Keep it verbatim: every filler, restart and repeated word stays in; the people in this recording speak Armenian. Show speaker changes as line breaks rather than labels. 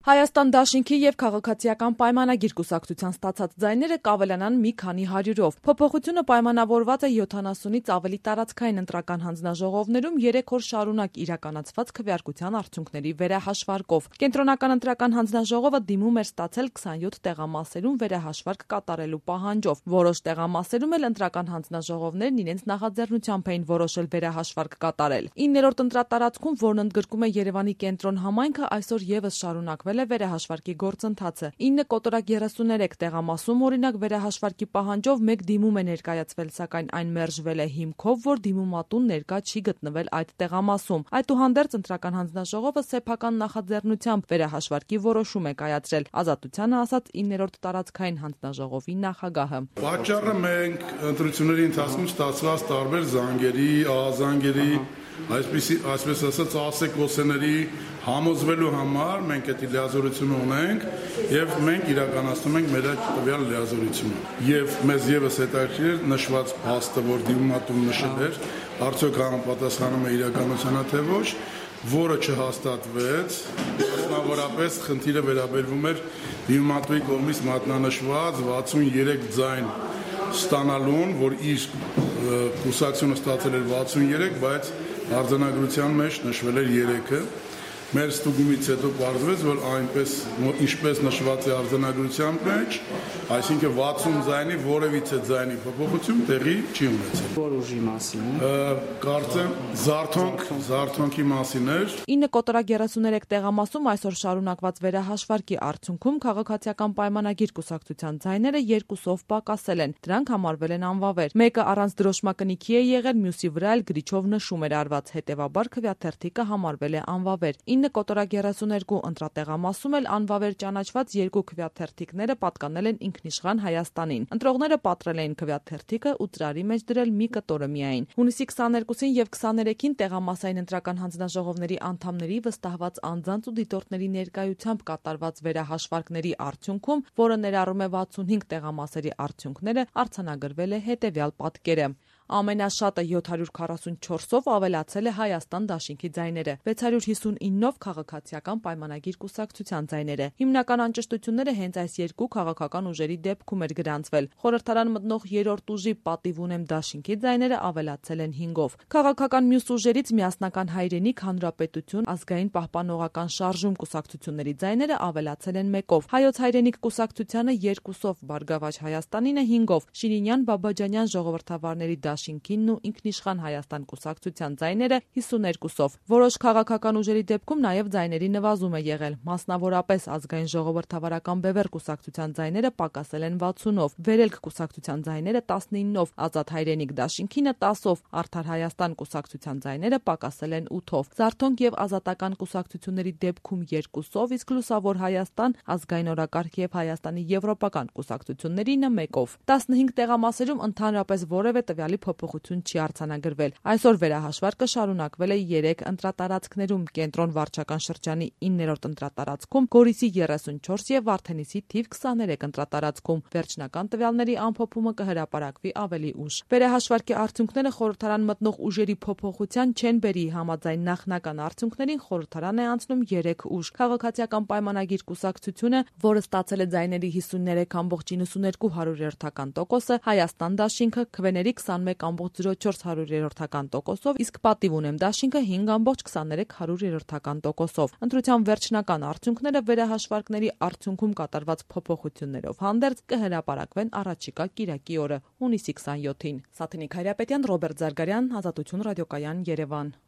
Հայաստան դաշինքի և քաղաքացիական պայմանագիր կուսակցության ստացած ձայները կավելանան մի քանի հարյուրով։ Փոփոխությունը պայմանավորված է յոթանասունից ավելի տարածքային ընտրական հանձնաժողովներում երեք օր շարունակ իրականացված քվեարկության արդյունքների վերահաշվարկով։ Կենտրոնական ընտրական հանձնաժողովը դիմում էր ստացել քսանյոթ տեղամասերում վերահաշվարկ կատարելու պահանջով։ Որոշ տեղամասերում էլ ընտրական հանձնաժողովներն իրենց նախաձեռնությամբ էին որոշել վերահաշվարկ կատարել։ իններորդ ընտրատարածքում, որն ընդգրկում է Երևանի կենտրոն համայնքը, այսօր ևս շարունակվել է վերահաշվարկի գործընթացը։ ինը կոտորակ երեսուներեք տեղամասում օրինակ վերահաշվարկի պահանջով մեկ դիմում է ներկայացվել, սակայն այն մերժվել է հիմքով, որ դիմումատուն ներկա չի գտնվել այդ տեղամասում։ Այդուհանդերձ ընտրական հանձնաժողովը սեփական նախաձեռնությամբ վերահաշվարկի որոշում է կայացրել, Ազատությանը ասաց իններորդ տարածքային հանձնաժողովի նախագահը։
Պատճառը մենք ընտրությունների ընթացքում ստացված տարբեր զանգերի, ահազանգերի, այսպիսի, այսպես ասած, ասեկոսեների համոզվելու համար մենք այդ լիազորությունը ունենք եւ մենք իրականացնում ենք մեր այդ տվյալ լիազորությունը։ Եվ մեզ եւս հետաքրքիր էր նշված փաստը, որ դիմումատուն նշել էր, արդյոք համապատասխանում է իրականությանը թե ոչ, որը չհաստատվեց, մասնավորապես խնդիրը վերաբերվում էր դիմումատուի կողմից մատնանշված վաթսուներեք ձայն ստանալուն, որ իր կուսակցությունը ստացել էր վաթսուներեք, բայց արձանագրության մեջ նշվել էր երեքը։ Մեր ստուգումից հետո պարզվեց, որ այնպես ինչպես նշված է արձանագրության մեջ, այսինքն վաթսուն ձայնի որևիցե ձայնի փոփոխություն տեղի չի ունեցել։
Որ ուժի մասին է։
Կարծեմ զարթոնք, զարթոնքի մասին էր։
ինը կոտորակ երեսուներեք տեղամասում այսօր շարունակված վերահաշվարկի արդյունքում քաղաքացիական պայմանագիր կուսակցության ձայները երկուսով պակասել են։ Դրանք համարվել են անվավեր։ Մեկը առանց դրոշմակնիքի է եղել, մյուսի վրա էլ գրիչով նշում էր արված, հետևաբար քվեաթերթիկը համարվել է անվավեր։ ինը կոտորակ երեսուներկու ընտրատեղամասում էլ անվավեր ճանաչված երկու քվեաթերթիկները պատկանել են ինքնիշխան Հայաստանին։ Ընտրողները պատրել էին քվեաթերթիկը ու ծրարի մեջ դրել մի կտորը միայն։ Հունիսի քսաներկուսին եւ քսաներեքին տեղամասային ընտրական հանձնաժողովների անդամների վստահված անձանց ու դիտորդների ներկայությամբ կատարված վերահաշվարկների արդյունքում, որը ներառում է վաթսունհինգ տեղամասերի արդյունքները, արձանագրվել է հետևյալ պատկերը։ Ամենաշատը յոթ հարյուր քառասունչորսով ավելացել է Հայաստան դաշինքի ձայները, վեց հարյուր հիսունինով քաղաքացիական պայմանագիր կուսակցության ձայները։ Հիմնական անճշտությունները հենց այս երկու քաղաքական ուժերի դեպքում էր գրանցվել։ Խորհրդարան մտնող երրորդ ուժի պատիվ ունեմ դաշինքի ձայները ավելացել են հինգով։ Քաղաքական մյուս ուժերից միասնական հայրենիք, Հանրապետություն, Ազգային պահպանողական շարժում կուսակցությունների ձայները ավելացել են մեկով։ Հայոց հայրենիք կուսակցությանը երկուսով, Բարգավաճ Հայաստանինը հինգով, Շիրինյան Բաբաջանյան ժողովրդավարների դաշինքինն ու ինքնիշխան Հայաստան կուսակցության ձայները հիսուներկուսով։ Որոշ քաղաքական ուժերի դեպքում նաև ձայների նվազում է եղել։ Մասնավորապես Ազգային ժողովրդավարական բևեռ կուսակցության ձայները պակասել են վաթսունով, Վերելք կուսակցության ձայները տասնինով, Ազատ հայրենիք դաշինքինը տասով, Արդար Հայաստան կուսակցության ձայները պակասել են ութով։ Զարթոնք եւ Ազատական կուսակցությունների դեպքում երկուսով, իսկ Լուսավոր Հայաստան, Ազգային օրակարգ եւ Հայաստանի եվրոպական կուսակցություններինը մեկով։ տասնհինգ տեղամասերում ընդհանրապես որևէ տվյալի փոփոխություն չի արձանագրվել։ Այսօր վերահաշվարկը շարունակվել է երեք ընտրատարածքներում՝ Կենտրոն վարչական շրջանի իններորդ ընտրատարածքում, Գորիսի երեսունչորս եւ Վարդենիսի թիվ քսաներեք ընտրատարածքում։ Վերջնական տվյալների ամփոփումը կհրապարակվի ավելի ուշ։ Վերահաշվարկի արդյունքները խորհրդարան մտնող ուժերի փոփոխության չեն բերի, համաձայն նախնական արդյունքներին խորհրդարան է անցնում երեք ուժ։ Քաղաքացիական պայմանագիր կուսակցությունը, որը ստացել է ձայների հիսուններեք կόμma նվաթսունհինգ հարյուրերորդական տոկոսը, Հայաստան դաշինքը քվեների քսանմեկ կόμma զիրո չորս հարյուրերորդական տոկոսով, իսկ պատիվ ունեմ դաշինքը հինգ կόμma քսաներեք հարյուրերորդական տոկոսով։ Ընտրության վերջնական արդյունքները վերահաշվարկների արդյունքում կատարված փոփոխություններով հանդերձ կհրապարակվեն առաջիկա կիրակի օրը՝ հունիսի քսանյոթին։ Սաթենիկ Հայրապետյան, Ռոբերտ Զարգարյան, Ազատություն ռադիոկայան, Երևան։